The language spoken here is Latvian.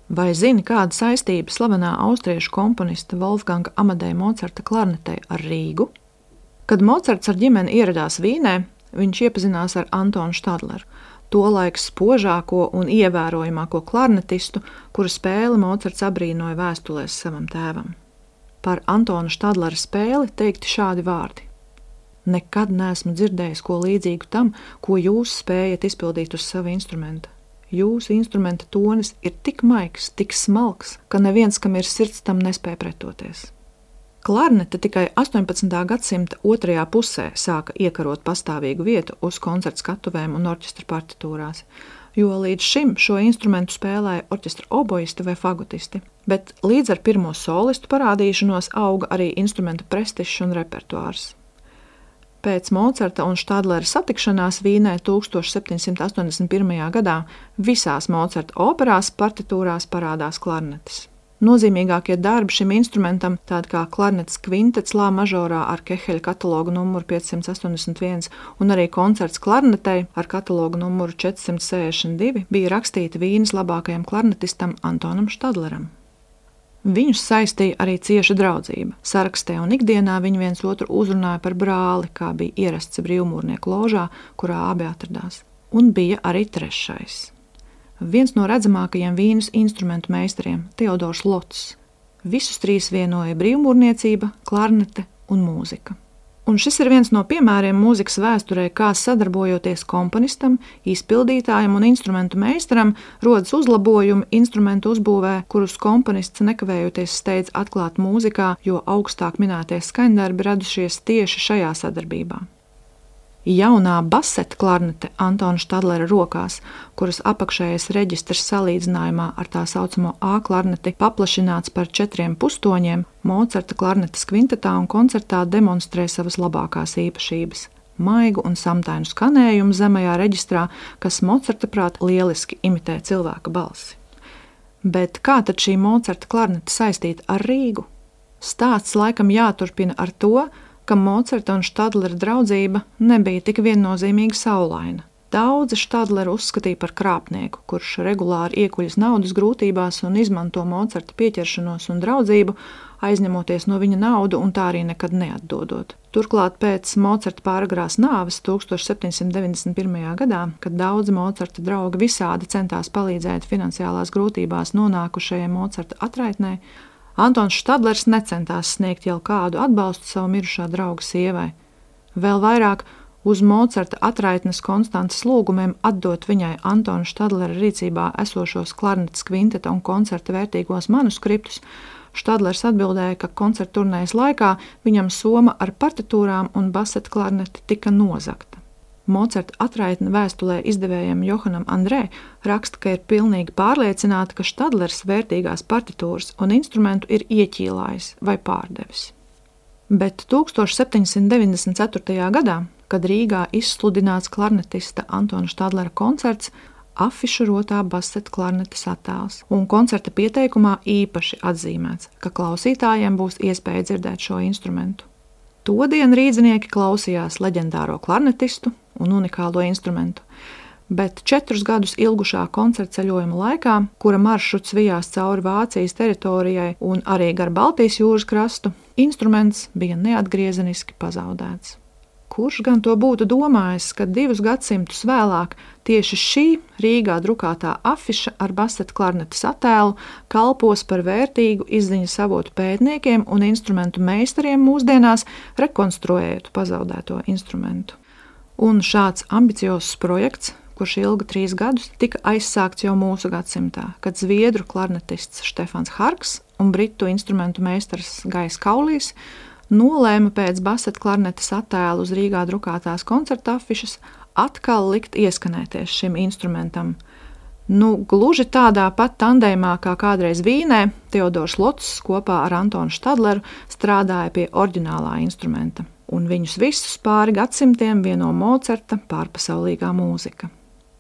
Vai zini, kāda saistība slavenā austriešu komponista Wolfganga Amadeja Mocarta klarnetei ar Rīgu? Kad Mocarts ar ģimeni ieradās Vīnē, viņš iepazinās ar Antonu Štadleru, tolaik spožāko un ievērojamāko klarnetistu, kura spēli Mocarts abrīnoja vēstulēs savam tēvam. Par Antona Štadlera spēli teikti šādi vārdi: Nekad neesmu dzirdējis ko līdzīgu tam, ko jūs spējat izpildīt uz sava instrumenta. Jūsu instrumenta tonis ir tik maigs, tik smalks, ka neviens, kam ir sirds, tam nespēja pretoties. Klarnete tikai 18. gadsimta otrajā pusē sāka iekarot pastāvīgu vietu uz koncertu skatuvēm un orķestra partitūrās, jo līdz šim šo instrumentu spēlēja orķestra oboisti vai fagotisti, bet līdz ar pirmo solistu parādīšanos auga arī instrumentu prestižs un repertuārs. Pēc Mocarta un Štadlera satikšanās Vīnē 1781. gadā visās Mocarta operās partitūrās parādās klarnetes. Nozīmīgākie darbi šim instrumentam, tādi kā klarnetes kvintets lā mažorā ar Keheļa katalogu numuru 581 un arī koncerts klarnetei ar katalogu numuru 462, bija rakstīti Vīnes labākajam klarnetistam Antonam Štadleram. Viņus saistīja arī cieša draudzība. Sarakstē un ikdienā viņi viens otru uzrunāja par brāli, kā bija ierasts brīvmūrnieku ložā, kurā abi atradās. Un bija arī trešais. Viens no redzamākajiem Vīnes instrumentu meistariem, Teodors Lots. Visus trīs vienoja brīvmūrniecība, klarnete un mūzika. Un šis ir viens no piemēriem mūzikas vēsturē, kā sadarbojoties komponistam, izpildītājam un instrumentu meistaram rodas uzlabojumi instrumentu uzbūvē, kurus komponists nekavējoties steidz atklāt mūzikā, jo augstāk minētie skaņdarbi radušies tieši šajā sadarbībā. Jaunā baseta klarnete Antona Štadlera rokās, kuras apakšējais reģistrs salīdzinājumā ar tā saucamo A klarneti paplašināts par 4 pustoņiem, Mocarta klarnetes kvintetā un koncertā demonstrē savas labākās īpašības – maigu un samtainu skanējumu zemajā reģistrā, kas Mocarta prāt lieliski imitē cilvēka balsi. Bet kā tad šī Mocarta klarnete saistīta ar Rīgu? Stāsts laikam jāturpina ar to, ka Mocarta un Štadlera draudzība nebija tik viennozīmīgi saulaina. Daudzi Štadleru uzskatīja par krāpnieku, kurš regulāri iekuļas naudas grūtībās un izmanto Mocarta pieķeršanos un draudzību, aizņemoties no viņa naudu un tā arī nekad neatdodot. Turklāt pēc Mocarta pāragrās nāves 1791. gadā, kad daudzi Mocarta draugi visādi centās palīdzēt finansiālās grūtībās nonākušajai Mocarta atraitnei, Antons Štadlers necentās sniegt jau kādu atbalstu savu mirušā drauga sievai. Vēl vairāk uz Mocarta atraitnes Konstantas lūgumiem atdot viņai Antona Štadlera rīcībā esošos klarnetes kvinteta un koncerta vērtīgos manuskriptus, Štadlers atbildēja, ka koncerta turnējas laikā viņam soma ar partitūrām un baseta klarneti tika nozagta. Mocarta atraitne vēstulē izdevējam Johanam Andrē raksta, ka ir pilnīgi pārliecināta, ka Štadlers vērtīgās partitūras un instrumentu ir ieķīlājis vai pārdevis. Bet 1794. gadā, kad Rīgā izsludināts klarnetista Antona Štadlera koncerts, afišu rotā baseta klarnetes attēls, un koncerta pieteikumā īpaši atzīmēts, ka klausītājiem būs iespēja dzirdēt šo instrumentu. Todien rīdzinieki klausījās leģendāro klarnetistu un unikālo instrumentu, bet 4 gadus ilgušā koncerta ceļojuma laikā, kura maršruts vijās cauri Vācijas teritorijai un arī gar Baltijas jūras krastu, instruments bija neatgriezeniski pazaudēts. Kurš gan to būtu domājis, ka 2 gadsimtus vēlāk tieši šī Rīgā drukātā afiša ar baseta klarnetes attēlu kalpos par vērtīgu izziņas avotu pētniekiem un instrumentu meistariem mūsdienās, rekonstruējot pazaudēto instrumentu. Un šāds ambiciozs projekts, kurš ilga 3 gadus, tika aizsākts jau mūsu gadsimtā, kad zviedru klarnetists Štefans Harks un britu instrumentu meistars Gais Kaulīs nolēma pēc baseta klarnetes attēlu uz Rīgā drukātās koncerta afišas atkal likt ieskanēties šim instrumentam. Gluži tādā pat tandēmā kā kādreiz Vīnē, Teodors Lots kopā ar Antonu Štadleru strādāja pie oriģinālā instrumenta, un viņus visus pāri gadsimtiem vieno Mocarta pārpasaulīgā mūzika.